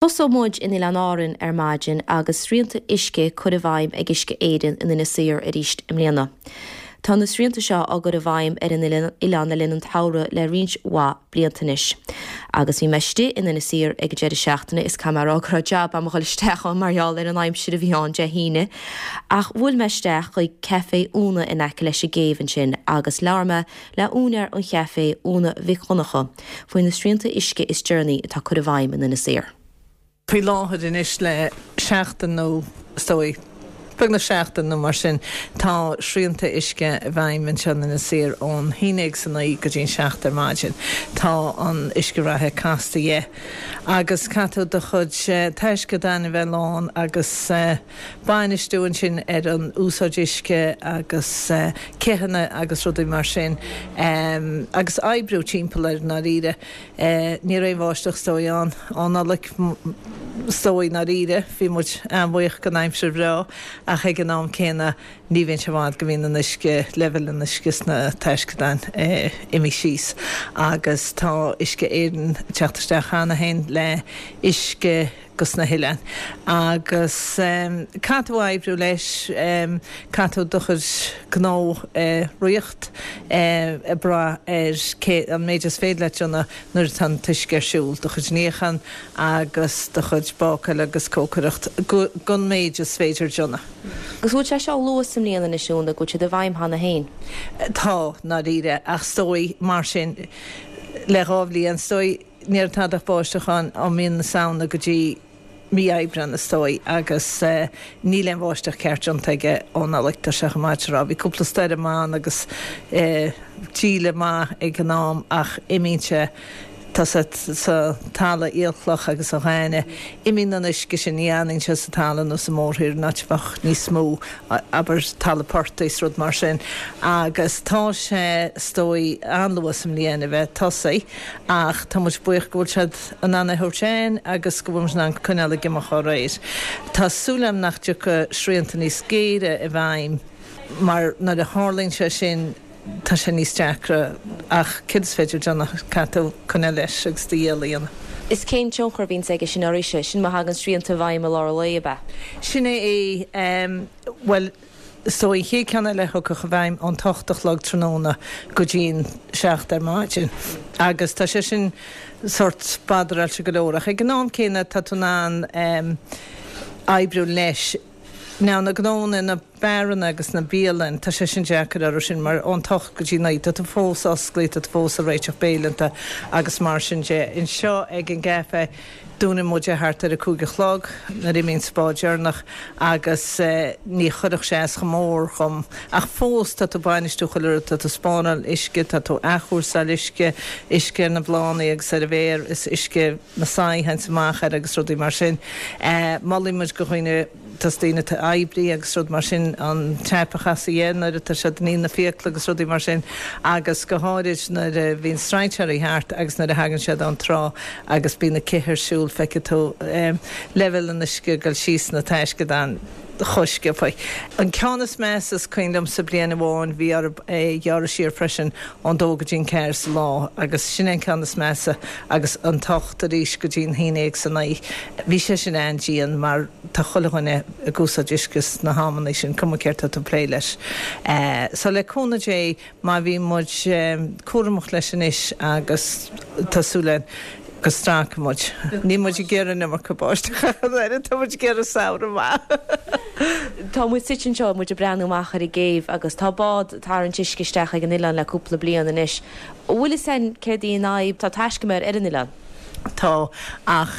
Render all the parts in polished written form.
Tosóidh muid in Oileáin Árann ar maidin agus srianta uisce curtha i bhfeidhm ag Uisce Éireann in Inis Oírr arís i mbliana. Tá na srianta seo á gcur i bhfeidhm ar an oileán le linn an tsamhraidh le roinnt mhaith blianta anois. Agus bhí mé istigh in Inis Oírr ag an deireadh seachtaine is caithfidh mé a rá go raibh jab a'm a dhul isteach ann mar gheall ar an aimsir a bhí ann Dé hAoine. Ach bhuail mé isteach chuig Café Úna in aice leis an gcéibh ansin agus labhair mé le úinéir an chaifé, Úna Mhic Dhonncha, faoi na srianta uisce is deireanaí atá curtha i bhfeidhm in Inis Oírr. Faoi láthair anois le seachtain nó is dóigh beagnach seachtain nó mar sin tá srianta uisce i bhfeidhm anseo in Inis Oírr ón haon déag is a naoi go dtí an seacht ar maidin. Tá an uisce reatha casta dhe agus caithfidh tú do chuid taisceadáin a bheith lán agus bainistiú ansin ar an úsáid uisce agus cithfeanna agus rudaí mar sin agus oibriú timpeall air i ndáiríre. Ní raibh aon bháisteach is dóigh ann ó Nollaig is dóigh i ndáiríre. Bhí muid an-bhuíoch den aimsir bhreá ach ag an am céanna ní bhíonn sé i bhfad go mbíonn an uisce, leibhéal an uisce sna taisceadáin imithe síos agus tá Uisce Éireann ag teacht isteach cheana féin le uisce go sna hoileáin. Agus caithfidh tú oibriú leis, caithfidh tú do chuid gnó a ritheacht ag brath ar cé an méid is féidir leat déanamh nuair atá an t-uisce ar siúl, do chuid níochán agus do chuid bácáil agus cócaireacht gon méid is féidir déanamh. Agus bhfuil sé seo luath sa mbliain anois, Úna, go bhfuil siad i bhfeidhm cheana féin? Tá, ndáiríre, ach is dóigh mar sin le dhá bhliain, is dóigh. Ní raibh tada ach báisteach ann ó mí na Samhna go dtí mí Aibreán is dóigh agus níl aon bháisteach ceart déanta aige ó Nollaig, tá sé chomh maith a rá. Bhí cúpla stoirm ann agus díle maith ag an am ach imíonn sé, tá sa talamh aolchloch agus an ghainimh, imíonn an uisce sin, ní fhanann sé sa talamh nó sa mórthír, in áit a bheadh níos mó. abair, talamh portaigh is rud mar sin agus tá sé, is dóigh, an-luath sa mbliain a bheith tosaithe ach tá muid buíoch go bhfuil siad in ann é a thabhairt againn agus go bhfuil muid in ann coinneáil ag imeacht dá réir. Tá súil agam nach dtiocfaidh srianta níos géire i bhfeidhm mar nuair a tharlaíonn sé sin tá sé níos deacra ach céard is féidir déanamh, caithfidh tú coinneáil leis agus do dhícheall a dhéanamh. Is cén tionchar a bhíonns aige sin oraibhse? Sin má thagann srianta i bhfeidhm i lár an lae, ab ea? Sin é é. Bhuel, is dóigh an chéad ceann eile a thiocfadh i bhfeidhm ón t-ocht a chlog tráthnóna go dtí'n seacht ar maidin agus tá sé sin sórt badaráilte go leor ach ag an am céanna tá tú in ann oibriú leis. Now na gnónna, na beáranna agus na bialann, tá sé sin deacair orthu sin mar ón t-ocht go dtí naoi tá tú fós osclaithe, tá tú fós ag réiteach béileanta agus mar sin de. Anseo ag an gcaife dúnann muid é thart ar a cúig a chlog nuair a imíonn an bád deireanach agus ní chuirfeadh sé as chomh mór dhom ach fós tá tú ag bainistiú chuile rud, tá tú ag spáráil uisce, tá tú ag athchúrsáil uisce, uisce ar na bláthanna agus ar an bhféar is uisce na soithí a théanns amach air agus rudaí mar sin. Molaíonn muid go dhaoine, dos daoine atá ag oibriú agus rud mar sin, an tap a chasadh dhe nuair atá siad ag ní na fiacla agus rudaí mar sin agus go háirid nuair a bhíonn strainséirí thart agus nuair a thagann siad ón trá agus bíonn na cithí ar siúl feicfidh tú leibhéal an uisce ag dul síos sna taisceadáin. chomh sciobtha. An ceann is measa is cuimhin liomsa bliain amháin bhí orthu é a ghearradh siar freisin ón dó go dtí an ceathair sa lá agus sin é an ceann is measa agus an t-ocht arís go dtí an haon déag is a naoi. Bhí sé sin an-dian mar tá chuile dhuine ag úsáid uisce sna hamanna sin, cuma céard tá tú ag plé leis. So le cúnamh Dé Má bhíonn muid cúramach leis anois agus tá súil againn go stracfaidh muid. Níl muid ag iarraidh an iomarca báisteach ach an oiread, tá muid ag iarraidh samhradh maith. Tá muid suite anseo, muid ag breathnú amach ar an gcéibh agus tá bád ag tarraingt uisce isteach ag an oileán le cúpla bliain anois. An bhfuil fhios againn céard í an fhadhb? Tá taiscumair ar an oileán. Tá, ach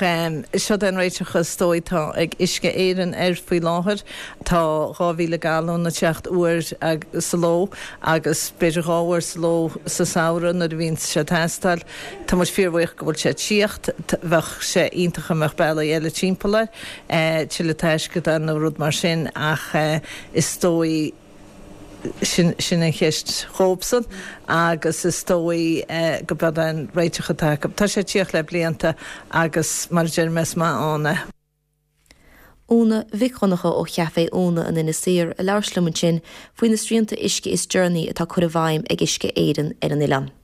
seod é an réiteach is dóigh atá ag Uisce Éireann air faoi láthair. Tá 2,000 galún ag teacht uair sa ló agus b'fhéidir dhá uair sa ló sa samhradh nuair a bhíonn sé ag teastáil. Tá muid fíorbhuíoch go bhfuil sé ag tíocht. Bheadh sé iontach dá mbeadh bealaí eile timpeall air, tuilleadh taisceadán nó rud mar sin ach is dóigh, Sin, sin an cheist dhóibhsan agus is dóigh go b'eod é an réiteach atá acu. Tá sé ag tíocht le blianta agus mar a deir mé is maith ann é. Úna Mhic Dhonncha ó Chaifé Úna in Inis Oírr ag labhairt liom ansin faoi na srianta uisce is deireanaí atá curtha i bhfeidhm ag Uisce Éireann ar an oileán.